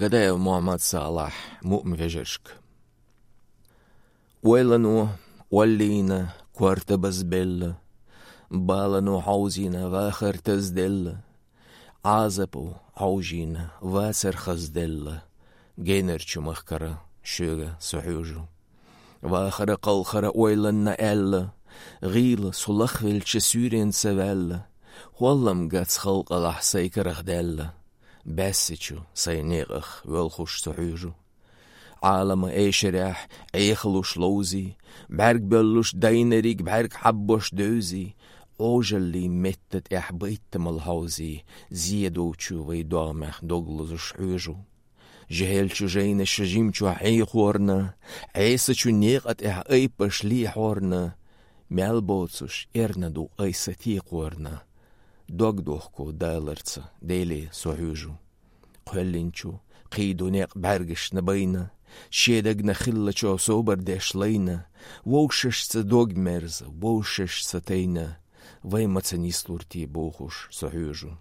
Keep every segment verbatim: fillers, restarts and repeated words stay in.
Гадаев Мухьаммад-Салахь, «Муъмин вежаршка». Ойлано оллийна, корта базбелла, балано хьовзийна, вахар тазделла, Ӏазапо хьовжийна, вацар хазделла, генарчу махкара шуьга со хьуьжу. Вахара-кхалхара ойланна аьлла, гӀийла со лахвелча суьйренца ваьлла, хӀоллам гац халкъалахь сай карах даьлла, баьссачу сай некъах воьлхуш со хьуьжу. Ӏалама эшарехь Ӏехалуш ловзий, бӀаьрг боьллуш дайнариг бӀаьрг хьаббош девзий, Ӏожаллий метта тӀехь байтамал хьовзий, зе долчу вай догӀмех дог лозуш хьуьжу. ЖехӀелчу жайнаша жимчохь Ӏехорна, Ӏесачу некъа тӀехь айпаш лехьорна, мел боцуш эрна ду айса текхорна, дог дохко даларца Деле со хьуьжу. Кхоьллинчу кхийду некъ бӀаьргашна байна, шен дагна хиллачо собар деш лайна, вовшашца дог мерза, вовшашца тайна, вай маца нислур те бохуш со хьуьжу.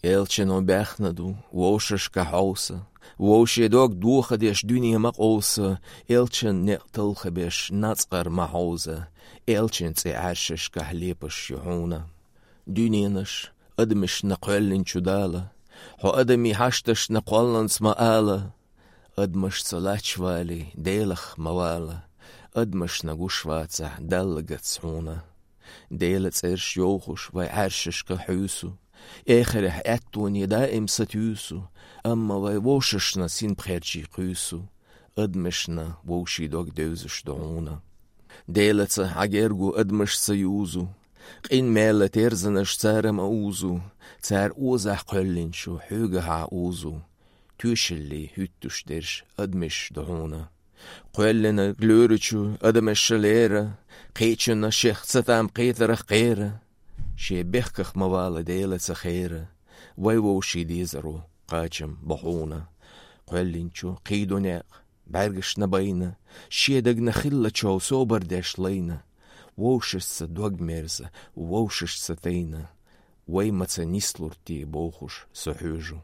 Элчано баьхна ду вовшашка хьовса, вовше дог дохадеш дуьне ма къовса, элчан некъ талхабеш нацкъар ма хьовза, элчан цӀе Ӏаьршашкахь лепаш ю хьуна. Дуьненаш адамашна кхоьллинчу Дала, хьо адамий хьашташна кхолланца ма ала, адамашца лач валий, Делах ма вала, адамашна гуш вацахь Далла гац хьуна. Делан цӀераш йовхуш вай Ӏаьршашка хьуьйсу, эхарехь аьттоне даим сатуьйсу, амма вай вовшашна синпхерчий кхуьйсу, адамашна вовший дог девзаш ду хьуна. Делаца хьан гергу адамашца юзу, къинмела терзанаш цара ма узу, цара озахь кхоьллинчу хьоьгахьа узу, тоьшаллий хӀуьттуш дерш адамаш ду хьуна. Кхоьллинарг лоьрачу адамаша лера, кхечунна шех ца там кхетарах кхера, шен бехках ма вала Делаца хера, вай вовший дезаро кхачам бу хьуна. Кхоьллинчу кхийду некъ бӀаьргашна байна, шен дагна хиллачо собар деш лайна, вовшашца дог мерза, вовшашца тайна, вай маца нислур те бохуш со хьуьжу.